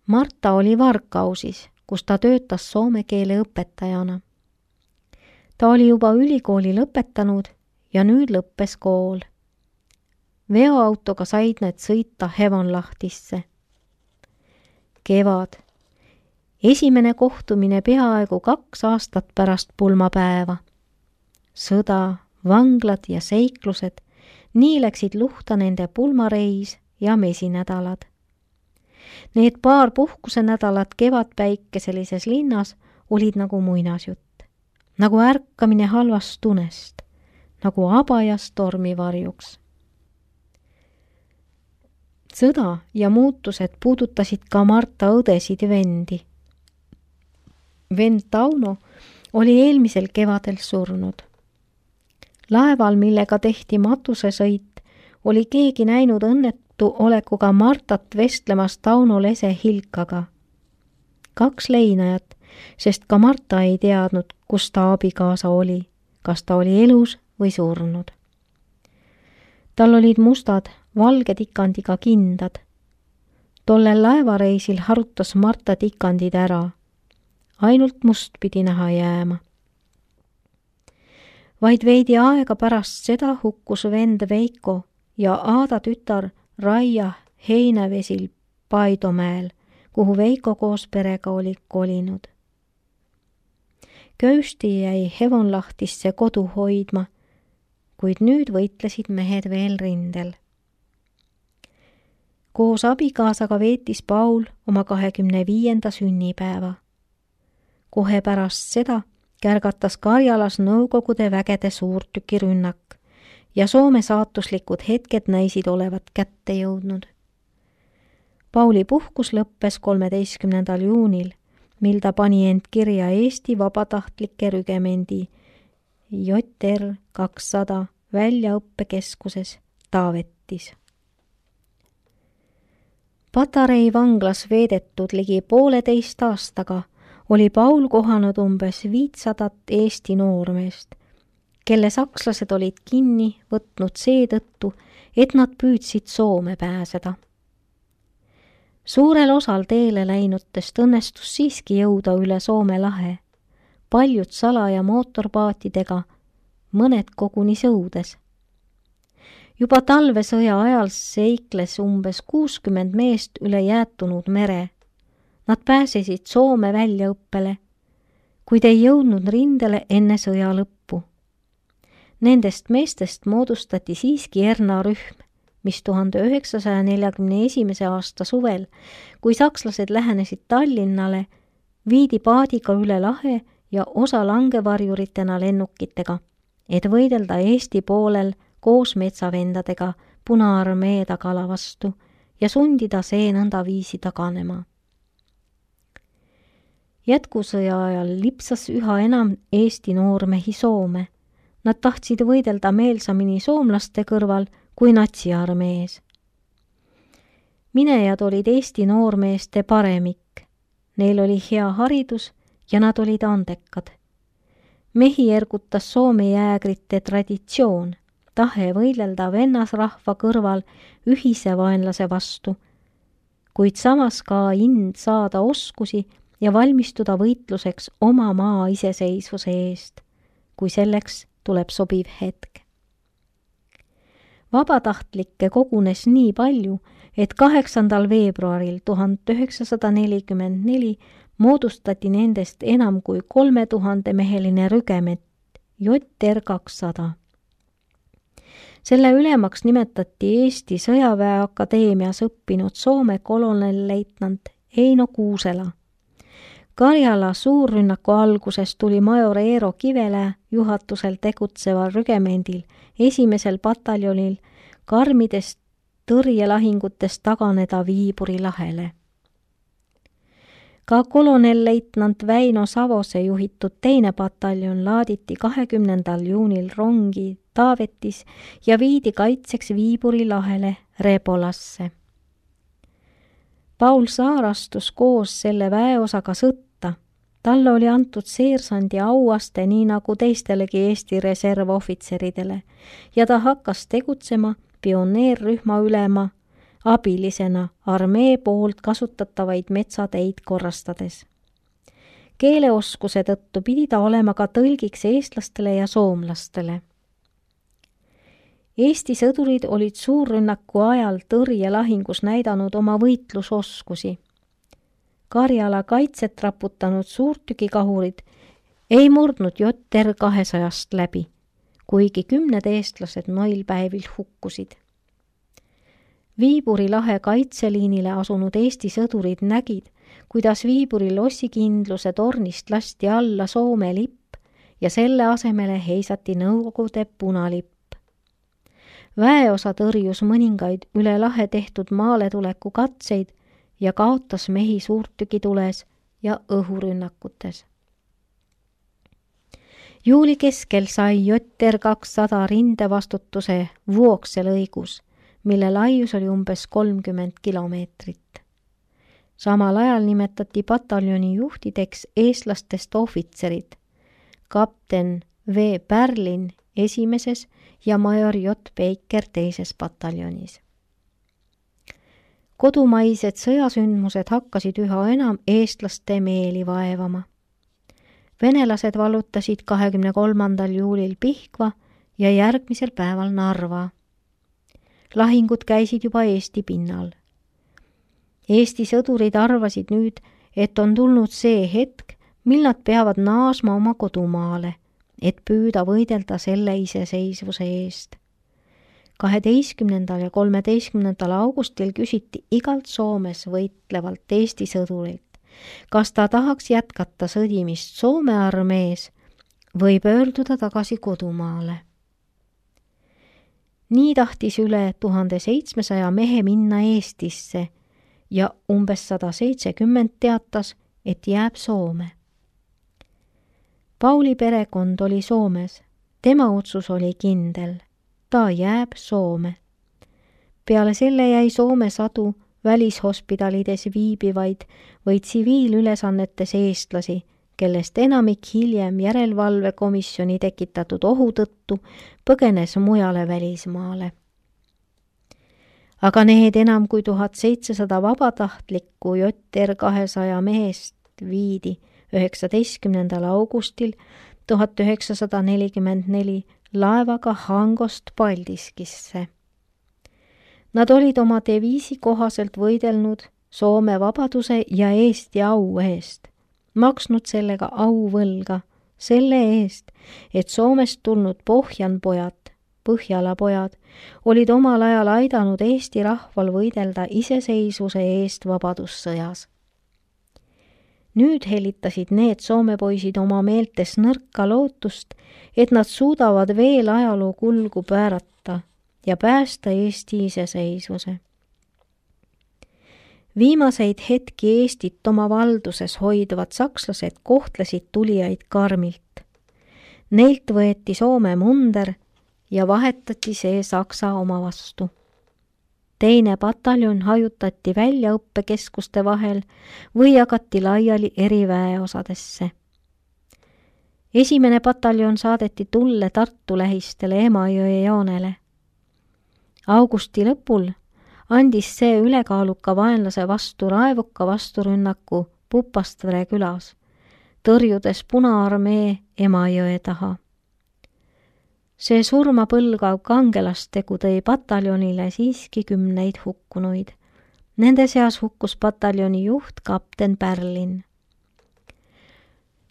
Marta oli Varkausis, kus ta töötas soome keele õpetajana. Ta oli juba ülikooli lõpetanud ja nüüd lõppes kool. Veoautoga said need sõita Hevonlahtisse. Kevad. Esimene kohtumine peaaegu 2 aastat pärast pulmapäeva. Sõda, vanglad ja seiklused, nii läksid luhta nende pulmareis ja mesinädalad. Need paar puhkusenädalat kevadpäikeselises linnas olid nagu muinasjutt, nagu ärkamine halvast unest, nagu abajas tormivarjuks. Sõda ja muutused puudutasid ka Marta õdesid ja vendi. Vend Tauno oli eelmisel kevadel surnud. Laeval, millega tehti matusesõit, oli keegi näinud õnnetu olekuga Martat vestlemas Tauno lese Hilkaga. 2 leinajat, sest ka Marta ei teadnud, kus ta abikaasa oli, kas ta oli elus või surnud. Tal olid mustad, valge tikandiga kindad. Tollel laevareisil harutas Marta tikandid ära. Ainult must pidi näha jääma. Vaid veidi aega pärast seda hukkus vend Veiko ja Aada tütar Raia Heinevesil Paidomäel, kuhu Veiko koos perega oli kolinud. Köösti jäi Hevonlahtisse kodu hoidma, kuid nüüd võitlesid mehed veel rindel. Koos abikaasaga veetis Paul oma 25. sünnipäeva. Kohe pärast seda kärgatas Karjalas Nõukogude vägede suurtükirünnak ja Soome saatuslikud hetked näisid olevat kätte jõudnud. Pauli puhkus lõppes 13. juunil, mil ta pani end kirja Eesti Vabatahtlike Rügemendi JR 200 väljaõppekeskuses Taavetis. Patarei vanglas veedetud ligi 1,5 aastaga oli Paul kohanud umbes 500 Eesti noormeest, kelle sakslased olid kinni võtnud seetõttu, et nad püüdsid Soome pääseda. Suurel osal teele läinutest õnnestus siiski jõuda üle Soome lahe, paljud salaja mootorpaatidega, mõned koguni sõudes. Juba talvesõja ajal seikles umbes 60 meest üle jäätunud mere. Nad pääsesid Soome väljaõppele, kuid ei jõudnud rindele enne sõja lõppu. Nendest meestest moodustati siiski Erna rühm, mis 1941. aasta suvel, kui sakslased lähenesid Tallinnale, viidi paadiga üle lahe ja osa langevarjuritena lennukitega, et võidelda Eesti poolel koos metsavendadega Punaarmee tagala vastu ja sundida see nõnda viisi taganema. Jätkusõja ajal lipsas üha enam Eesti noormehi Soome. Nad tahtsid võidelda meelsamini soomlaste kõrval kui natsiarmees. Minejad olid Eesti noormeeste paremik. Neil oli hea haridus ja nad olid andekad. Mehi ergutas Soome jäägrite traditsioon, tahe võidelda vennasrahva kõrval ühise vaenlase vastu, kuid samas ka ind saada oskusi ja valmistuda võitluseks oma maa iseseisvuse eest, kui selleks tuleb sobiv hetk. Vabatahtlikke kogunes nii palju, et 8. veebruaril 1944 moodustati nendest enam kui 3000-meheline rügement JR 200. Selle ülemaks nimetati Eesti Sõjaväeakadeemias õppinud Soome kolonelleitnant Eino Kuusela. Karjala suurrünnaku alguses tuli major Eero Kivelä juhatusel tegutseval rügemendil 1. pataljonil karmidest tõrjelahingutest taganeda Viiburi lahele. Ka kolonelleitnant Väino Savose juhitud 2. pataljon laaditi 20. juunil rongi Taavetis ja viidi kaitseks Viiburi lahele Rebolasse. Paul Saar astus koos selle väeosaga sõtta. Talle oli antud seersandi auaste nii nagu teistelegi Eesti reservohvitseridele ja ta hakkas tegutsema pioneerrühma ülema abilisena armee poolt kasutatavaid metsateid korrastades. Keeleoskuse tõttu pidi ta olema ka tõlgiks eestlastele ja soomlastele. Eesti sõdurid olid suurrünnaku ajal tõrjelahingus näidanud oma võitlusoskusi. Karjala kaitset raputanud suurtükikahurid ei murdnud Jõtter 200 läbi, kuigi 10 eestlased noil päevil hukkusid. Viiburi lahe kaitseliinile asunud Eesti sõdurid nägid, kuidas Viiburi lossikindluse tornist lasti alla Soome lipp ja selle asemele heisati Nõukogude punalipp. Väeosa tõrjus mõningaid üle lahe tehtud maaletuleku katseid ja kaotas mehi suurtükitules ja õhurünnakutes. Juuli keskel sai Jõtter 200 rindevastutuse Vuokse lõigus, mille laius oli umbes 30 kilomeetrit. Samal ajal nimetati pataljoni juhtideks eestlastest ohvitserid, kapten V. Pärlin esimeses ja major J. Peiker teises pataljonis. Kodumaised sõjasündmused hakkasid üha enam eestlaste meeli vaevama. Venelased vallutasid 23. juulil Pihkva ja järgmisel päeval Narva. Lahingud käisid juba Eesti pinnal. Eesti sõdurid arvasid nüüd, et on tulnud see hetk, mil nad peavad naasma oma kodumaale, et püüda võidelda selle iseseisvuse eest. 12. ja 13. augustil küsiti igalt Soomes võitlevalt Eesti sõdurilt, kas ta tahaks jätkata sõdimist Soome armees või pöörduda tagasi kodumaale. Nii tahtis üle 1700 mehe minna Eestisse ja umbes 170 teatas, et jääb Soome. Pauli perekond oli Soomes, tema otsus oli kindel, ta jääb Soome. Peale selle jäi Soome sadu välishospitalides viibivaid või tsiviilülesannetes eestlasi, kellest enamik hiljem järelevalvekomisjoni tekitatud ohu tõttu põgenes mujale välismaale. Aga need enam kui 1700 vabatahtlikku Jõtter 200 mehest viidi 19. augustil 1944 laevaga Hangost Paldiskisse. Nad olid oma deviisi kohaselt võidelnud Soome vabaduse ja Eesti au eest, maksnud sellega auvõlga selle eest, et Soomest tulnud pohjanpojad, Põhjalapojad olid omal ajal aidanud Eesti rahval võidelda iseseisvuse eest vabadussõjas. Nüüd helitasid need Soome poisid oma meeltes nõrka lootust, et nad suudavad veel ajaloo kulgu päärata ja päästa Eesti iseseisvuse. Viimaseid hetki Eestit oma valduses hoidvad sakslased kohtlesid tulijaid karmilt. Neilt võeti Soome munder ja vahetati see Saksa oma vastu. Teine pataljon hajutati väljaõppekeskuste vahel või jagati laiali eri väeosadesse. Esimene pataljon saadeti Tulle Tartu lähistele Emajõe joonele. Augusti lõpul andis see ülekaaluka vaenlase vastu raevuka vasturünnaku Pupastvere külas, tõrjudes Punaarmee Emajõe taha. See surmapõlgav kangelastegu tõi pataljonile siiski 10 hukkunuid. Nende seas hukkus pataljoni juht kapten Pärlin.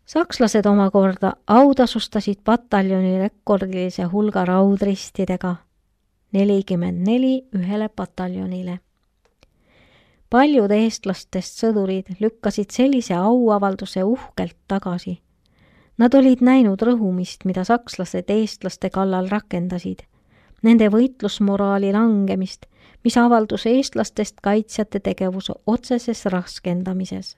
Sakslased omakorda autasustasid pataljoni rekordilise hulga raudristidega, 44 ühele pataljonile. Paljud eestlastest sõdurid lükkasid sellise auavalduse uhkelt tagasi. Nad olid näinud rõhumist, mida sakslased eestlaste kallal rakendasid, nende võitlusmoraali langemist, mis avaldus eestlastest kaitsjate tegevuse otseses raskendamises.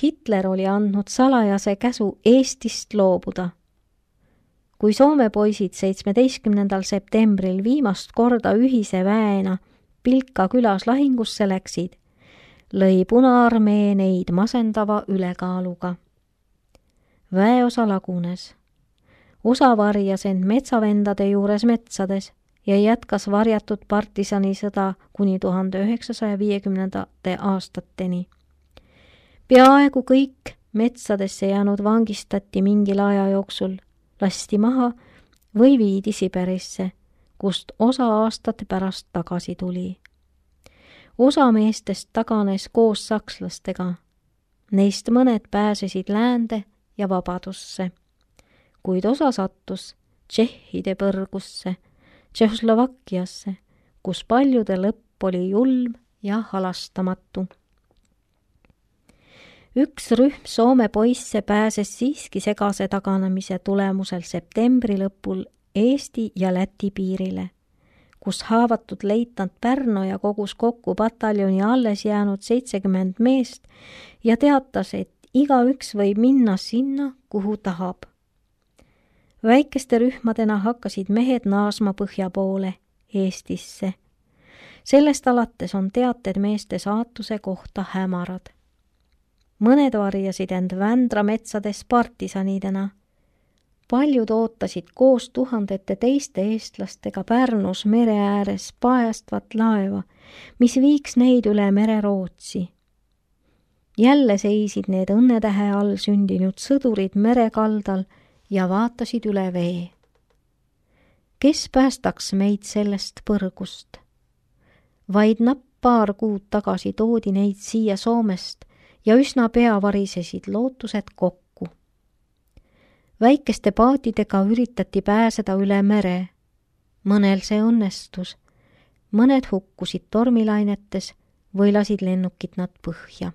Hitler oli andnud salajase käsu Eestist loobuda. Kui Soome poisid 17. septembril viimast korda ühise väena Pilka külas lahingusse läksid, lõi Punaarmee neid masendava ülekaaluga. Väeosa lagunes. Osa varjas end metsavendade juures metsades ja jätkas varjatud partisanisõda kuni 1950. aastateni. Peaaegu kõik metsadesse jäänud vangistati mingil aja jooksul, lasti maha või viidi Siberisse, kust osa aastate pärast tagasi tuli. Osa meestest taganes koos sakslastega. Neist mõned pääsesid läände ja vabadusse, kuid osa sattus tšehhide põrgusse, Tšehhoslovakkiasse, kus paljude lõpp oli julm ja halastamatu. Üks rühm Soome poisse pääses siiski segase taganemise tulemusel septembri lõpul Eesti ja Läti piirile, kus haavatud leitnant Pärno ja kogus kokku pataljoni alles jäänud 70 meest ja teatas, et igaüks võib minna sinna, kuhu tahab. Väikeste rühmadena hakkasid mehed naasma põhja poole, Eestisse. Sellest alates on teated meeste saatuse kohta hämarad. Mõned varjasid end Vändra metsades partisanidena. Paljud ootasid koos tuhandete teiste eestlastega Pärnus mere ääres paestvat laeva, mis viiks neid üle mere Rootsi. Jälle seisid need õnnetähe all sündinud sõdurid merekaldal ja vaatasid üle vee. Kes päästaks meid sellest põrgust? Vaid napp paar kuud tagasi toodi neid siia Soomest ja üsna pea varisesid lootused kokku. Väikeste paatidega üritati pääseda üle mere. Mõnel see õnnestus, mõned hukkusid tormilainetes või lasid lennukid nad põhja.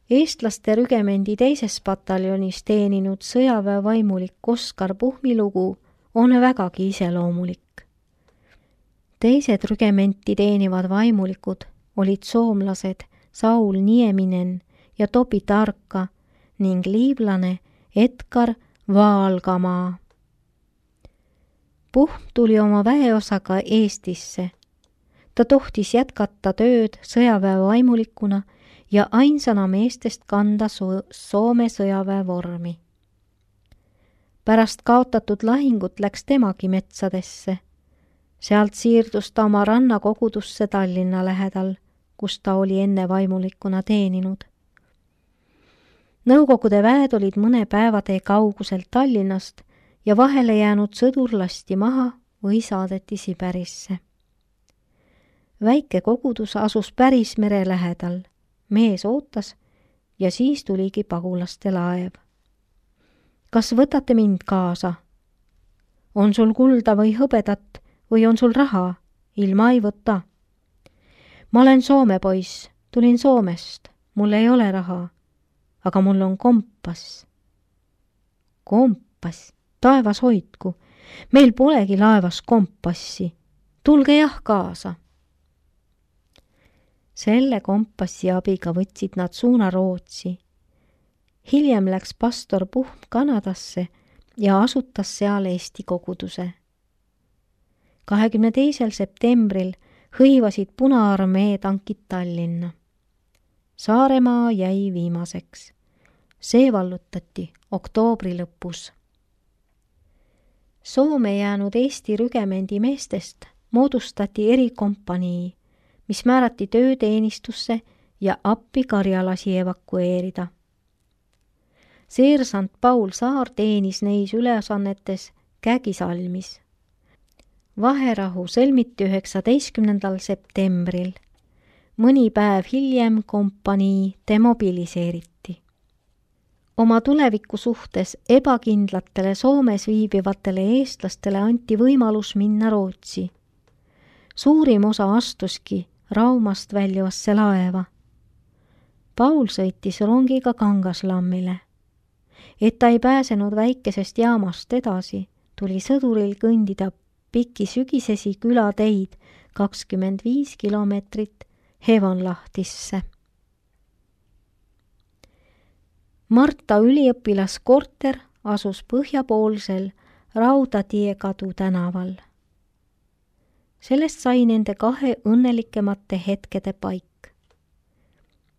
Eestlaste rügemendi teises pataljonis teeninud sõjaväevaimulik Oskar Puhmi lugu on vägagi iseloomulik. Teised rügementi teenivad vaimulikud olid soomlased Saul Nieminen ja Topi Tarka ning liivlane Edgar Vaalgamaa. Puhm tuli oma väeosaga Eestisse. Ta tohtis jätkata tööd sõjaväevaimulikuna ja ainsana meestest kanda Soome sõjaväe vormi. Pärast kaotatud lahingut läks temagi metsadesse. Sealt siirdus ta oma rannakogudusse Tallinna lähedal, kus ta oli enne vaimulikuna teeninud. Nõukogude väed olid mõne päevatee kauguselt Tallinnast ja vahele jäänud sõdur lasti maha või saadeti Siberisse. Väike kogudus asus päris mere lähedal. Mees ootas ja siis tuligi pagulaste laev. Kas võtate mind kaasa? On sul kulda või hõbedat või on sul raha? Ilma ei võta. Ma olen Soome poiss, tulin Soomest, mul ei ole raha, aga mul on kompass. Kompass, taevas hoidku, meil polegi laevas kompassi, tulge jah kaasa. Selle kompassi abiga võtsid nad suuna Rootsi. Hiljem läks pastor Puhm Kanadasse ja asutas seal Eesti koguduse. 22. septembril hõivasid Punaarmee tankid Tallinna. Saaremaa jäi viimaseks. See vallutati oktoobri lõpus. Soome jäänud Eesti rügemendi meestest moodustati erikompanii, mis määrati tööteenistusse ja appi karjalasi evakueerida. Seersant Paul Saar teenis neis ülesannetes Kägisalmis. Vaherahu sõlmiti 19. septembril. Mõni päev hiljem kompanii demobiliseeriti. Oma tuleviku suhtes ebakindlatele Soomes viibivatele eestlastele anti võimalus minna Rootsi. Suurim osa astuski Raumast väljuvasse laeva. Paul sõitis rongiga Kangaslammile. Et ta ei pääsenud väikesest jaamast edasi, tuli sõduril kõndida pikki sügisesi külateid 25 kilomeetrit Hevonlahtisse. Marta üliõpilaskorter asus põhjapoolsel Raudatiekadu tänaval. Sellest sai nende kahe õnnelikemate hetkede paik.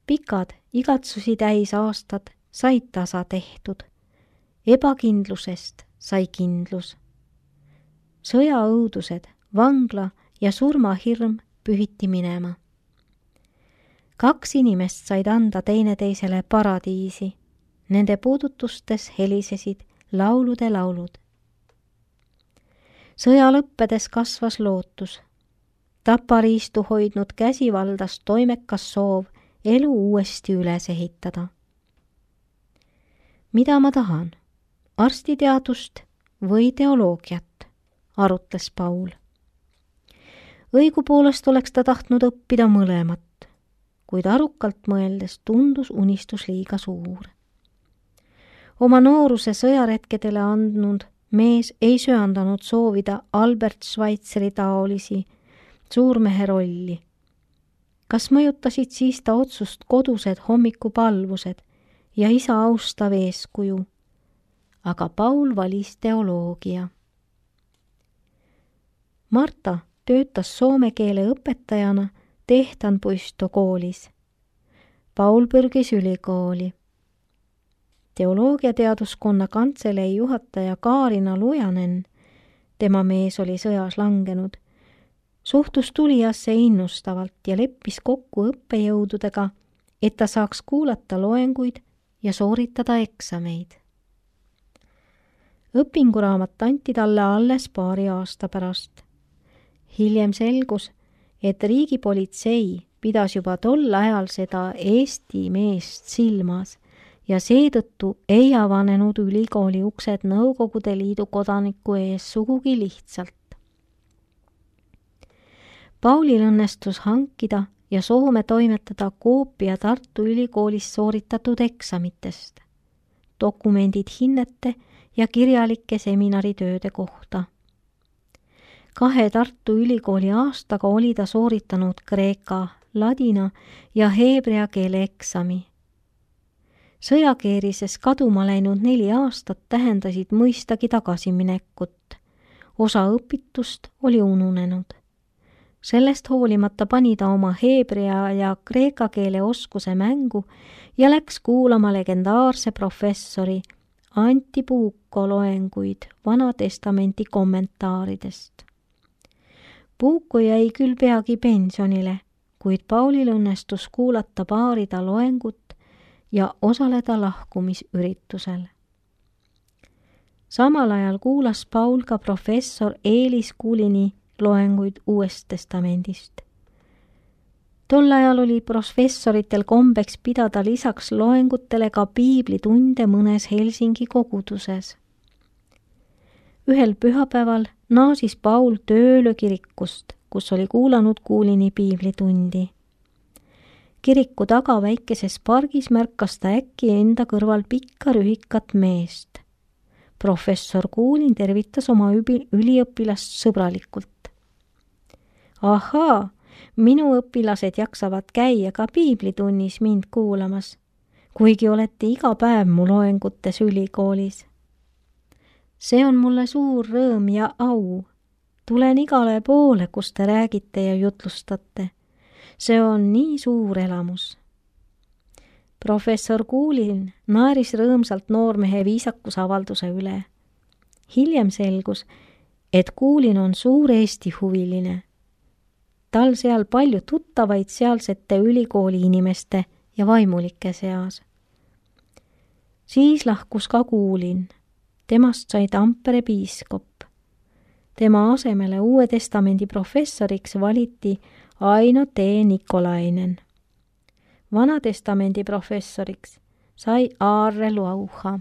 Pikad igatsusi täis aastad said tasa tehtud. Ebakindlusest sai kindlus. sõjaõudused, vangla ja surmahirm pühiti minema. 2 inimest said anda teineteisele paradiisi. Nende puudutustes helisesid laulude laulud. Sõja lõppedes kasvas lootus. Tapariistu hoidnud käsi valdas toimekas soov elu uuesti üles ehitada. Mida ma tahan? Arstiteadust või teoloogiat, arutles Paul. Õigupoolest oleks ta tahtnud õppida mõlemat, kuid arukalt mõeldes tundus unistus liiga suur. Oma nooruse sõjaretkedele andnud mees ei söandanud soovida Albert Schweitzeri taolisi suurmehe rolli. Kas mõjutasid siis ta otsust kodused hommikupalvused ja isa austav eeskuju? Aga Paul valis teoloogia. Marta töötas soome keele õpetajana Tehtanpuisto koolis. Paul pürgis ülikooli. Teoloogiateaduskonna kantselei juhataja Kaarina Lujanen, tema mees oli sõjas langenud, suhtus tulijasse innustavalt ja leppis kokku õppejõududega, et ta saaks kuulata loenguid ja sooritada eksameid. Õpinguraamat anti talle alles paari aasta pärast. Hiljem selgus, et riigipolitsei pidas juba tol ajal seda Eesti meest silmas ja seetõttu ei avanenud ülikooli uksed Nõukogude Liidu kodaniku ees sugugi lihtsalt. Paulil õnnestus hankida ja Soome toimetada koopia Tartu Ülikoolis sooritatud eksamitest, dokumendid hinnete ja kirjalike seminaritööde kohta. 2 Tartu Ülikooli aastaga oli ta sooritanud kreeka, ladina ja heebrea keele eksami. Sõjakeerises kaduma läinud 4 aastat tähendasid mõistagi tagasiminekut. Osa õpitust oli ununenud. Sellest hoolimata pani ta oma heebrea ja kreeka keele oskuse mängu ja läks kuulama legendaarse professori Antti Puukko loenguid Vana Testamenti kommentaaridest. Puukko jäi küll peagi pensionile, kuid Paulil õnnestus kuulata paari ta loengut ja osaleda lahkumisüritusel. Samal ajal kuulas Paul ka professor Eelis Kuulini loenguid Uuest Testamendist. Tol ajal oli professoritel kombeks pidada lisaks loengutele ka piiblitunde mõnes Helsingi koguduses. Ühel pühapäeval naasis Paul tööle kirikust, kus oli kuulanud Kuulini piiblitundi. Kiriku taga väikeses pargis märkas ta äkki enda kõrval pikka rühikat meest. Professor Kuulin tervitas oma üliõpilast sõbralikult. Ahaa, minu õpilased jaksavad käia ka piiblitunnis mind kuulamas, kuigi olete iga päev mu loengutes ülikoolis. See on mulle suur rõõm ja au. Tulen igale poole, kus te räägite ja jutlustate. See on nii suur elamus. Professor Kuulin naeris rõõmsalt noormehe viisakusavalduse üle. Hiljem selgus, et Kuulin on suur Eesti huviline. Tal seal palju tuttavaid sealsete ülikooli inimeste ja vaimulike seas. Siis lahkus ka Kuulin. Temast sai Tampere piiskop. Tema asemele Uue Testamendi professoriks valiti Aino T. Nikolainen. Vana Testamendi professoriks sai Aarre Lauha.